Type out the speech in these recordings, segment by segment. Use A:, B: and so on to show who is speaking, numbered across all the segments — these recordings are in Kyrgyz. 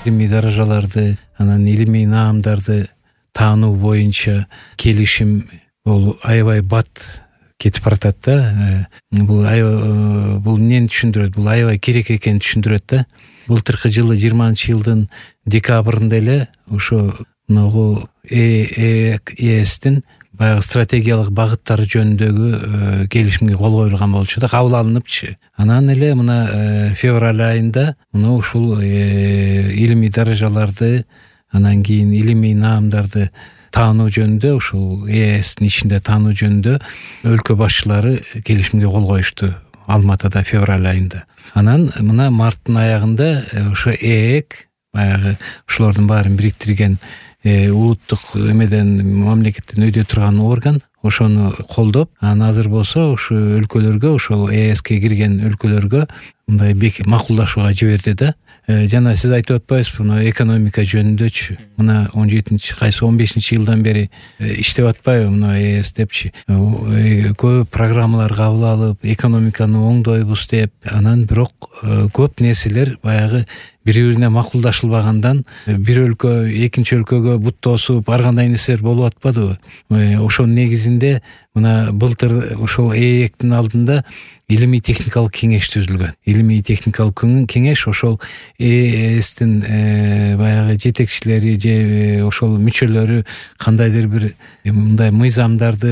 A: илимий даражаларды, анан илимий наамдарды таануу боюнча келишим бул аябай бат кетип баратат да. Бул эмнени түшүндүрөт? Бул аябай керек экенин түшүндүрөт да. Былтыркы жылы 20-жылдын декабрында эле ошо могу ЕСтин баягы стратегиялык багыттары жөнүндөгү келишимге кол коюлган болчу да, кабыл алыныпчы. Анан эле мына февраль айында мына ушул илимий даражаларды, анан кийин илимий наамдарды таануу жөнүндө, ушул ЕСтин ичинде таануу жөнүндө өлкө башчылары келишимге кол коюшту Алматыда февраль айында. Анан мына марттын аягында ошо ЭЭК баягы ушулордун баарын бириктирген улуттук мамлекеттен өйдө турган орган ошону колдоп, анан азыр болсо ушу өлкөлөргө, ошол ЭСке кирген өлкөлөргө мындай макулдашууга жиберди да. Жана сиз айтып атпайсызбы, мына экономика жөнүндөчү мына 15 жылдан бери иштеп атпайбы мына ЭС депчи. Көп программалар кабыл алып, экономиканы оңдойбуз деп, анан бирок көп нерселер баягы бири-бирине макулдашылбагандан бир өлкө экинчи өлкөгө бут тосуп, ар кандай нерселер болуп атпадыбы? Ошонун негизинде мына былтыр ошол ЭЭКтин алдында илимий техникалык кеңеш түзүлгөн. Илимий техникалык кеңеш ошол ЭСтин баягы жетекчилери же ошол мүчөлөрү кандайдыр бир мындай мыйзамдарды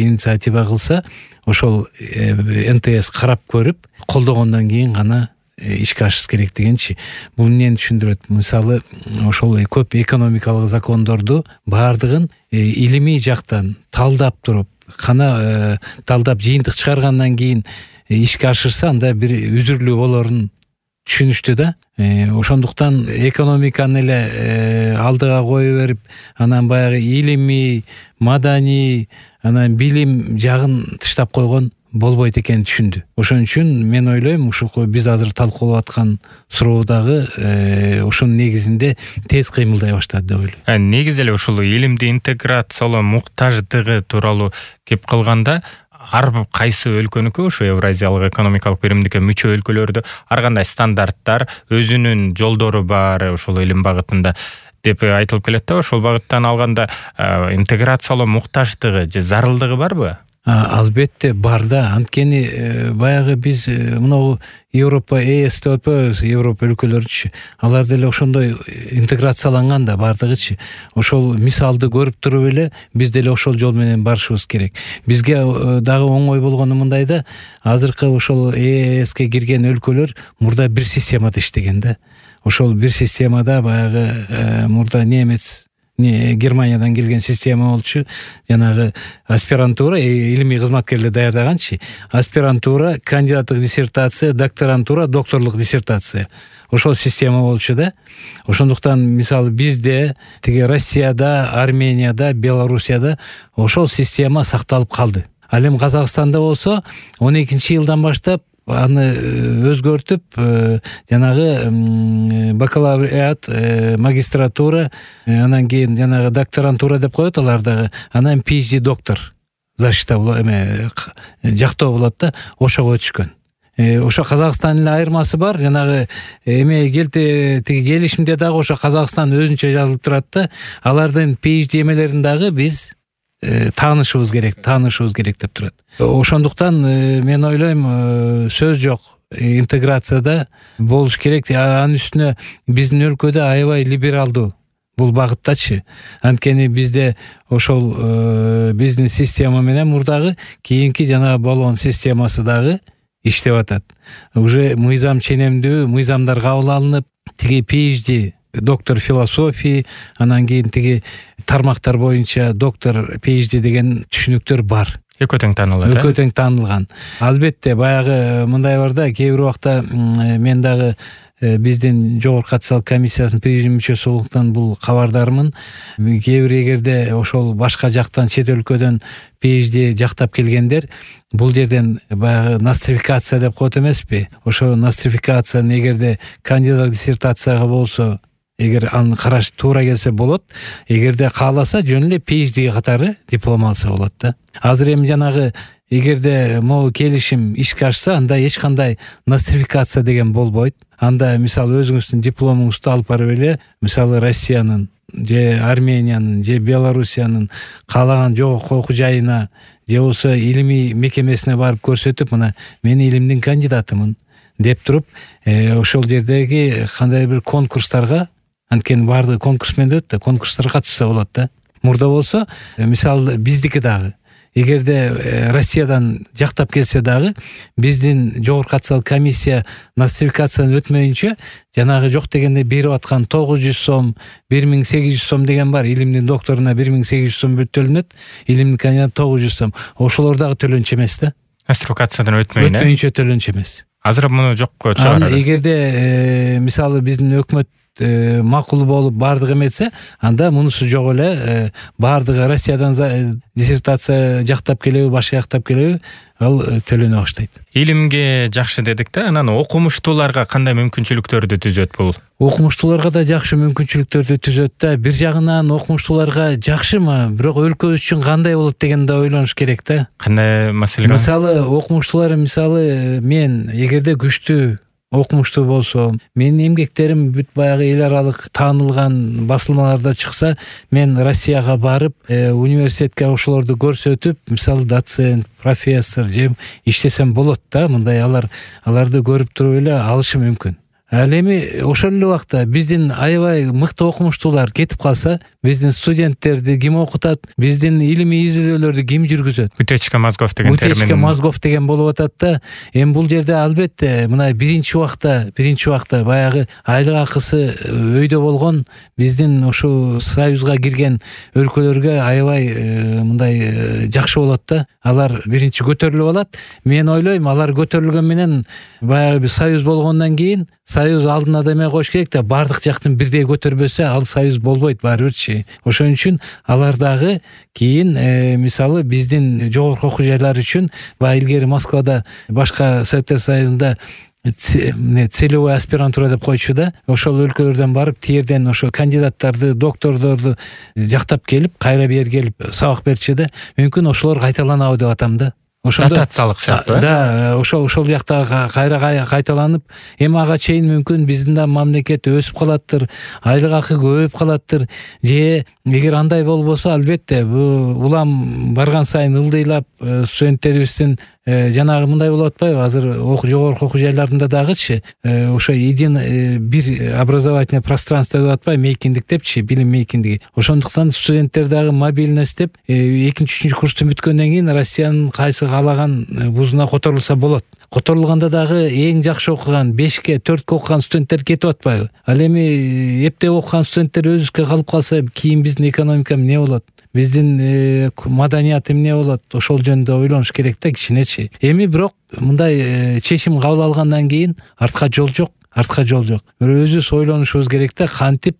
A: инициатива кылса, ошол НТС карап көрүп, колдогондон кийин гана ишке ашыш керек дегенчи. Бул эмнени түшүндүрөт? Мисалы, ошол көп экономикалык закондорду баардыгын илимий жактан талдап туруп, талдап жыйынтык чыгаргандан кийин ишке ашырса, анда бир үзүрлүү болорун түшүнүштү да. Ошондуктан экономиканы эле алдыга кое берип, анан баягы илимий, маданий, анан билим жагын тыштап койгон болбойт экенин түшүндү. Ошон үчүн мен ойлойм, ушул биз азыр талкуулап аткан суроо дагы ошонун негизинде тез кыймылдай баштады деп ойлойм.
B: Негизи эле ушул илимди интеграциялоо муктаждыгы тууралуу кеп калганда, ар кайсы өлкөнүкү, ушу Евразиялык экономикалык биримдикке мүчө өлкөлөрдө ар кандай стандарттар, өзүнүн жолдору бар ушул илим багытында деп айтылып келет да. Ошол багыттан алганда интеграциялоо муктаждыгы же зарылдыгы барбы?
A: Албетте бар да. Анткени баягы биз мынау Европа ЭС деп атпайбыз, Европа өлкөлөрүчү. Алар деле ошондой интеграцияланган да бардыгычы. Ошол мисалды көрүп туруп эле биз деле ошол жол менен барышыбыз керек. Бизге дагы оңой болгону мындай да, азыркы ошол ЭСке кирген өлкөлөр мурда бир системада иштеген да. Ошол бир системада баягы мурда Германиядан келген система болчу. Жанагы аспирантура, илимий кызматкерлер даярдаганчы. Аспирантура, кандидаттык диссертация, докторантура, докторлук диссертация. Ошол система болчу да. Ошондуктан мисалы бизде, тиги Россияда, Арменияда, Белоруссияда ошол система сакталып калды. Ал эми Казакстанда болсо 12-жылдан баштап аны өзгөртүп, жанагы бакалавриат, магистратура, анан кийин жанагы докторантура деп коет алар дагы, анан PhD доктор защита жактоо болот да, ошого өтүшкөн. Ошо Казакстандын эле айырмасы бар, жанагы тиги келишимде дагы ошо Казакстан өзүнчө жазылып турат да, алардын PhD эмелерин дагы биз таанышыбыз керек деп турат. Ошондуктан мен ойлойм, сөз жок, интеграцияда болуш керек. Анын үстүнө биздин өлкөдө аябай либералдуу бул багыттачы. Анткени бизде ошол биздин система менен мурдагы кийинки жана болгон системасы дагы иштеп атат. Уже мыйзам ченемдүү, мыйзамдар кабыл алынып, тиги PhD доктор философии, анан кийин тиги тармактар боюнча доктор PhD деген түшүнүктөр бар.
B: Экөө тең таанылат.
A: Экөө тең таанылган. Албетте баягы мындай бар да, кээ бир убакта мен дагы биздин жогорку катчылык комиссиясынын президиум мүчөсү болгондуктан бул кабардармын. Кээ бир эгерде ошол башка жактан, чет өлкөдөн PhD жактап келгендер бул жерден баягы нострификация деп коет эмеспи? Ошо нострификацияны эгерде кандидат диссертацияга болсо, эгер аны караш туура келсе болот, эгерде кааласа жөн эле PhD катары диплом алса болот да. Азыр эми жанагы эгерде могу келишим ишке ашса, анда эч кандай нострификация деген болбойт. Анда мисалы өзүңүздүн дипломуңузду алып барып эле, мисалы Россиянын же Армениянын же Белоруссиянын каалаган жогорку окуу жайына же болбосо илимий мекемесине барып көрсөтүп, мына мен илимдин кандидатымын деп туруп, ошол жердеги кандай бир конкурстарга, анткени баардыгы конкурс менен өтөт да, конкурстарга катышса болот да. Мурда болсо, мисалы биздики дагы эгерде Россиядан жактап келсе дагы, биздин жогорку атсал комиссия нострификацияны өтмөйүнчө жанагы жок дегенде берип аткан 900 сом, 1800 сом деген бар. Илимдин докторуна 1800 сом төлөнөт, илимдин кандидатына 900 сом. Ошолор дагы төлөнчү эмес да.
B: Нострификациядан өтмөйүнчө
A: төлөнчү эмес.
B: Азыр муну жокко чыгарат.
A: Эгерде мисалы биздин өкмөт макул болуп баардыгы эметсе, анда мунусу жок эле, баардыгы Россиядан диссертация жактап келеби, башка жактап келеби, ал төлөнө баштайт.
B: Илимге жакшы дедик да, анан окумуштууларга кандай мүмкүнчүлүктөрдү түзөт бул?
A: Окумуштууларга да жакшы мүмкүнчүлүктөрдү түзөт да. Бир жагынан окумуштууларга жакшымы, бирок өлкөбүз үчүн кандай болот дегенди ойлонуш керек да.
B: Кандай маселе?
A: Мисалы окумуштуулар, мисалы мен эгерде күчтүү окумуштуу болсом, менин эмгектерим бүт баягы эл аралык таанылган басылмаларда чыкса, мен Россияга барып, университетке ошолорду көрсөтүп, мисалы доцент, профессор же иштесем болот да. Мындай аларды көрүп туруп эле алышым мүмкүн. Ал эми ошол эле убакта биздин аябай мыкты окумуштуулар кетип калса, биздин студенттерди ким окутат, биздин илимий изилдөөлөрдү ким жүргүзөт?
B: Утечка мозгов деген термин.
A: Утечка мозгов деген болуп атат да. Эми бул жерде албетте мына биринчи убакта баягы айлык акысы өйдө болгон биздин ошо союзга кирген өлкөлөргө аябай мындай жакшы болот да. Алар биринчи көтөрүлүп алат. Мен ойлойм, алар көтөрүлгөн менен баягы бир союз болгондон кийин союз алдына да эме коюш керек да, баардык жактын бирдей көтөрбөсө ал союз болбойт барыбирчи. Ошон үчүн алар дагы кийин мисалы биздин жогорку окуу жайлар үчүн баягы илгери Москвада, башка Советтер Союзунда целевой аспирантура деп койчу да. Ошол өлкөлөрдөн барып, тиерден ошо кандидаттарды, доктордорду жактап келип, кайра бери келип сабак берчү да. Мүмкүн ошолор кайталанабы деп атам да.
B: Дотациялык сыяктуу.
A: Да, ошол жакта кайра кайталанып, эми ага чейин мүмкүн биздин да мамлекет өсүп калаттыр, айлык акы көбөйүп калаттыр. Же эгер андай болбосо, албетте бул улам барган сайын ылдыйлап студенттерибиздин жанагы мындай болуп атпайбы? Азыр жогорку окуу жайларында дагычы ошо бир образовательный пространство деп атпайбы, мейкиндик депчи, билим мейкиндиги. Ошондуктан студенттер дагы мобильность деп экинчи, үчүнчү курсту бүткөндөн кийин Россиянын кайсы каалаган вузуна которулса болот. Которулганда дагы эң жакшы окуган 5ке, 4ке окуган студенттер кетип атпайбы? Ал эми эптеп окуган студенттер өзүбүзгө калып калса, кийин биздин экономика эмне болот? Биздин маданият эмне болот? Ошол жөнүндө ойлонуш керек да, кичинечи. Эми бирок мындай чечим кабыл алгандан кийин артка жол жок. Бирок өзүбүз ойлонушубуз керек да, кантип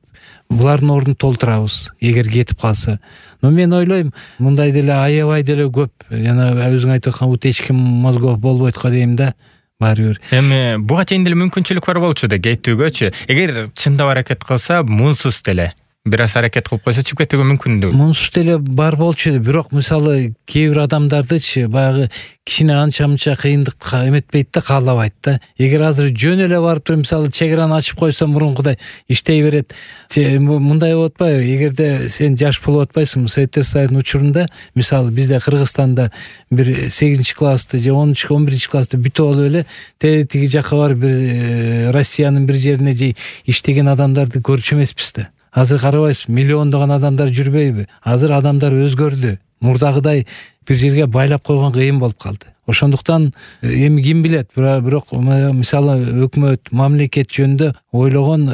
A: булардын ордун толтурабыз эгер кетип калса. Но мен ойлойм, мындай деле аябай деле көп, жана өзүң айтып аткан утечка мозгов болбойт го дейм да. Баары бир.
B: Эми буга чейин деле мүмкүнчүлүк бар болчу да, кетүүгөчү. Эгер чындап аракет кылса, мунсуз деле бир аз аракет кылып койсо чыгып кетүүгө мүмкүндүгү.
A: Мунсуз деле бар болчу, бирок мисалы кээ бир адамдардычы баягы кичине анча-мынча кыйындык эметпейт да, каалабайт да. Эгер азыр жөн эле барып туруп, мисалы чек араны ачып койсо мурункудай иштей берет. Мындай болуп атпайбы? Эгерде сен жаш болуп атпайсың, Советтер Союзунун учурунда, мисалы бизде Кыргызстанда бир 8-классты же 11 классты бүтүп алып эле тиги жакка барып бир Россиянын бир жерине же иштеген адамдарды көрчү эмеспиз да. Азыр карабайсыз, миллиондогон адамдар жүрбөйбү? Азыр адамдар өзгөрдү. Мурдагыдай бир жерге байлап койгон кыйын болуп калды. Ошондуктан эми ким билет, бирок мисалы өкмөт, мамлекет жөнүндө ойлогон,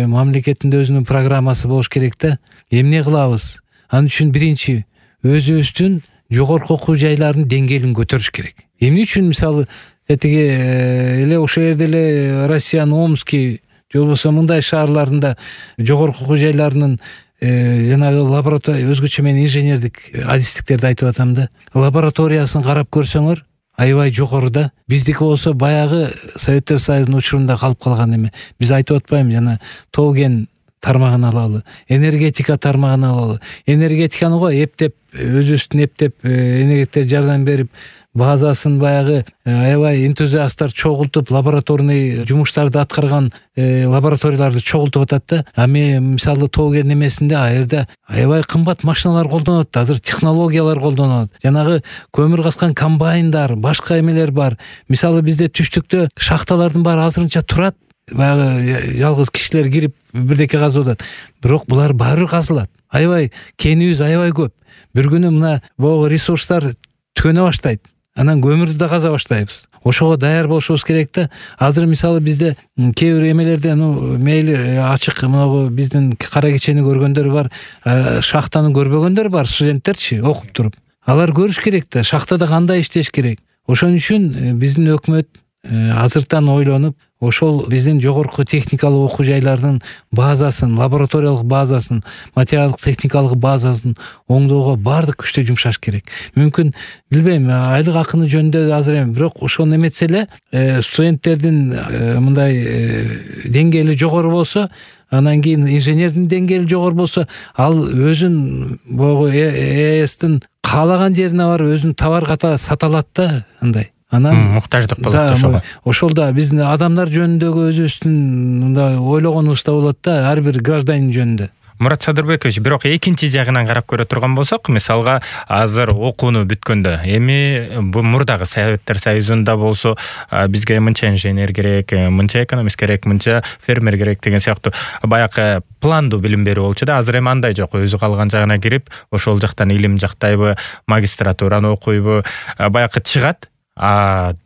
A: мамлекеттин өзүнүн программасы болуш керек да. Эмне кылабыз? Ал үчүн биринчи өзүбүздүн жогорку окуу жайларынын деңгээлин көтөрүш керек. Эмне үчүн мисалы тетиги эле ошол жерде эле Россиянын Омский же болбосо мындай шаарларында жогорку окуу жайларынын жанагы лаборатория, өзгөчө мен инженердик адистиктерди айтып атам да, лабораториясын карап көрсөңөр аябай жогоруда. Биздики болсо баягы Советтер Союзунун учурунда калып калган эме. Биз айтып атпаймынбы, жана Тоген тармагын алалы, энергетика тармагын алалы. Энергетиканы го эптеп өзүбүздүн энергетиктерге жардам берип, базасын баягы аябай энтузиасттар чогултуп, лабораторный жумуштарды аткарган лабораторияларды чогултуп атат да. Мисалы тоо кен немесинде ал жерде аябай кымбат машиналар колдонулат, азыр технологиялар колдонулат. Жанагы көмүр каскан комбайндар, башка эмелер бар. Мисалы бизде түштүктө шахталардын баары азырынча турат. Баягы жалгыз кишилер кирип бирдеке казып атат. Бирок булар баары казылат. Аябай кенибиз аябай көп. Бир күнү мына богу ресурстар түгөнө баштайт. Анан көмүрдү да каза баштайбыз. Ошого даяр болушубуз керек да. Азыр мисалы бизде кээ бир эмелерде мейли ачык могу биздин кара кечени көргөндөр бар, шахтаны көрбөгөндөр бар, студенттерчи окуп туруп. Алар көрүш керек да, шахтада кандай иштеш керек. Ошон үчүн биздин өкмөт азыртан ойлонуп, ошол биздин жогорку техникалык окуу жайлардын базасын, лабораториялык базасын, материалдык техникалык базасын оңдоого баардык күчтө жумшаш керек. Мүмкүн билбейм, айлык акыны жөнүндө азыр эми, бирок ошону эметсе эле студенттердин мындай деңгээли жогору болсо, анан кийин инженердин деңгээли жогору болсо, ал өзүн богу ЭСтин каалаган жерине барып өзүн товар ката сата алат да, андай. Анан
B: муктаждык болот ошого.
A: Ошол да биздин адамдар жөнүндөгү өзүбүздүн мындай ойлогонубуз да болот да, ар бир гражданин жөнүндө.
B: Мурат Садырбекович, бирок экинчи жагынан карап көрө турган болсок, мисалга азыр окууну бүткөндө, эми бул мурдагы Советтер Союзунда болсо, бизге мынча инженер керек, мынча экономист керек, мынча фермер керек деген сыяктуу баягы пландуу билим берүү болчу да. Азыр эми андай жок. Өзү калган жагына кирип, ошол жактан илим жактайбы, магистратураны окуйбу, баягы чыгат,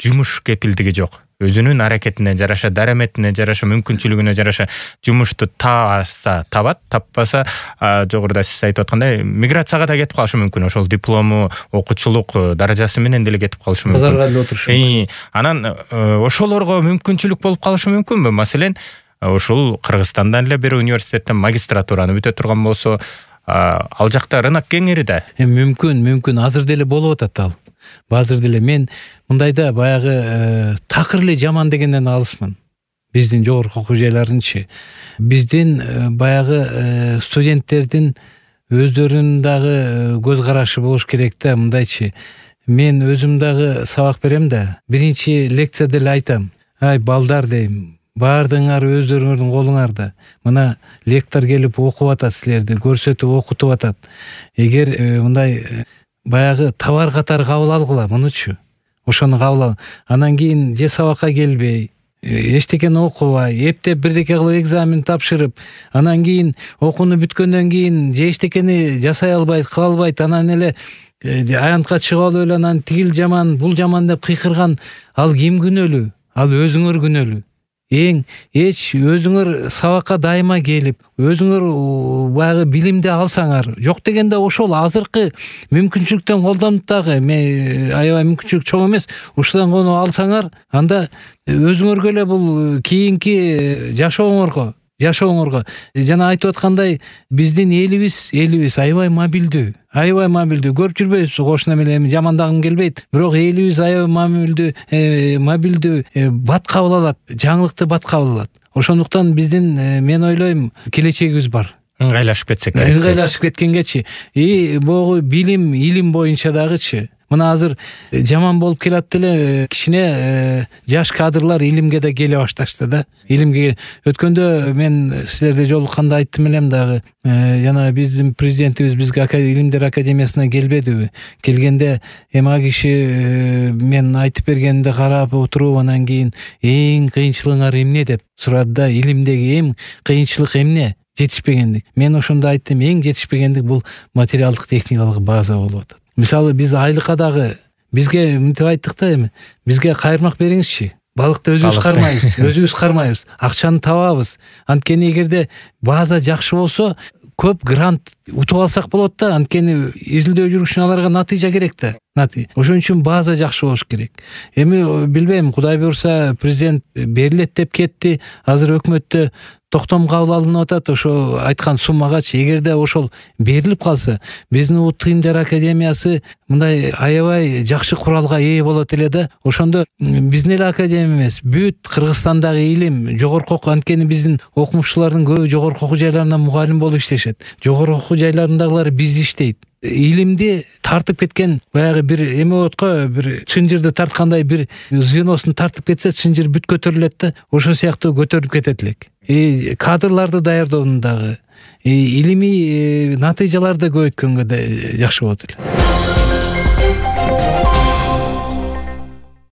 B: жумуш кепилдиги жок. Өзүнүн аракетине жараша, дараметине жараша, мүмкүнчүлүгүнө жараша жумушту таапса табат, таппаса жогоруда сиз айтып аткандай миграцияга да кетип калышы мүмкүн. Ошол диплому, окуучулук даражасы менен деле кетип калышы мүмкүн.
A: Базарга эле отурушу.
B: Анан ошолорго мүмкүнчүлүк болуп калышы мүмкүнбү? Маселен, ошол Кыргызстандан эле бир университеттен магистратураны бүтө турган болсо, ал жакта рынок кеңири да.
A: Мүмкүн, азыр деле болуп атат ал. Азыр деле мен мындайда баягы такыр эле жаман дегенден алысмын. Биздин жогорку окуу жайларынчы. Биздин баягы студенттердин өздөрүнүн дагы көз карашы болуш керек да, мындайчы. Мен өзүм дагы сабак берем да, биринчи лекцияда эле айтам. Ай балдар дейм, баардыгыңар өздөрүңөрдүн колуңарда. Мына лектор келип окуп атат силерди, көрсөтүп окутуп атат. Эгер мындай баягы товар катары кабыл алгыла мунучу. Ошону кабыл ал. Анан кийин же сабакка келбей, эчтекени окубай, эптеп бирдеке кылып экзамен тапшырып, анан кийин окууну бүткөндөн кийин же эчтекени жасай албайт, кыла албайт, анан эле аянтка чыгып алып эле анан тигил жаман, бул жаман деп кыйкырган, ал ким күнөөлүү? Ал өзүңөр күнөөлүү. Өзүңөр сабакка дайыма келип, өзүңөр баягы билимди алсаңар, жок дегенде ошол азыркы мүмкүнчүлүктөн колдонуп дагы, аябай мүмкүнчүлүк чоң эмес, ушудан кону алсаңар, анда өзүңөргө эле бул кийинки жашооңорго жана айтып аткандай, биздин элибиз аябай мобилдүү. Көрүп жүрбөйбүз кошуна менен, эми жамандагым келбейт, бирок элибиз аябай мобилдүү, бат кабыл алат, жаңылыкты бат кабыл алат. Ошондуктан биздин, мен ойлойм, келечегибиз бар.
B: Ыңгайлашып кетсек керек.
A: Ыңгайлашып кеткенгечи, могу билим, илим боюнча дагычы. Мына азыр жаман болуп келат деле, кичине жаш кадрлар илимге да келе башташты да. Илимге өткөндө мен силерде жолукканда айттым элем дагы, жана биздин президентибиз бизге Илимдер академиясына келбедиби? Келгенде эми а киши мен айтып бергенимди карап отуруп, анан кийин эң кыйынчылыгыңар эмне деп сурады да. Илимдеги эң кыйынчылык эмне? Жетишпегендик. Мен ошондо айттым, эң жетишпегендик бул материалдык техникалык база болуп атат. Мисалы биз айлыкка дагы бизге мынтип айттык да, эми бизге кайырмак бериңизчи. Балыкты өзүбүз кармайбыз, акчаны табабыз. Анткени эгерде база жакшы болсо, көп грант утуп алсак болот да. Анткени изилдөө жүрүш үчүн аларга натыйжа керек да. Ошон үчүн база жакшы болуш керек. Эми билбейм, Кудай буюрса президент берилет деп кетти. Азыр өкмөттө токтом кабыл алынып атат ошо айткан суммагачы. Эгерде ошол берилип калса, биздин Улуттук Илимдер Академиясы мындай аябай жакшы куралга ээ болот эле да. Ошондо биздин эле академия эмес, бүт Кыргызстандагы илим, жогорку окуу, анткени биздин окумуштуулардын көбү жогорку окуу жайларында мугалим болуп иштешет. Жогорку окуу жайларындагылар бизди иштейт. Илимди тартып кеткен баягы бир эме болот го, бир чынжырды тарткандай бир звеносун тартып кетсе, чынжыр бүт көтөрүлөт да, ошол сыяктуу көтөрүлүп кетет элек. Кадрларды даярдоонун дагы, илимий натыйжаларды көбөйткөнгө да жакшы болот эле.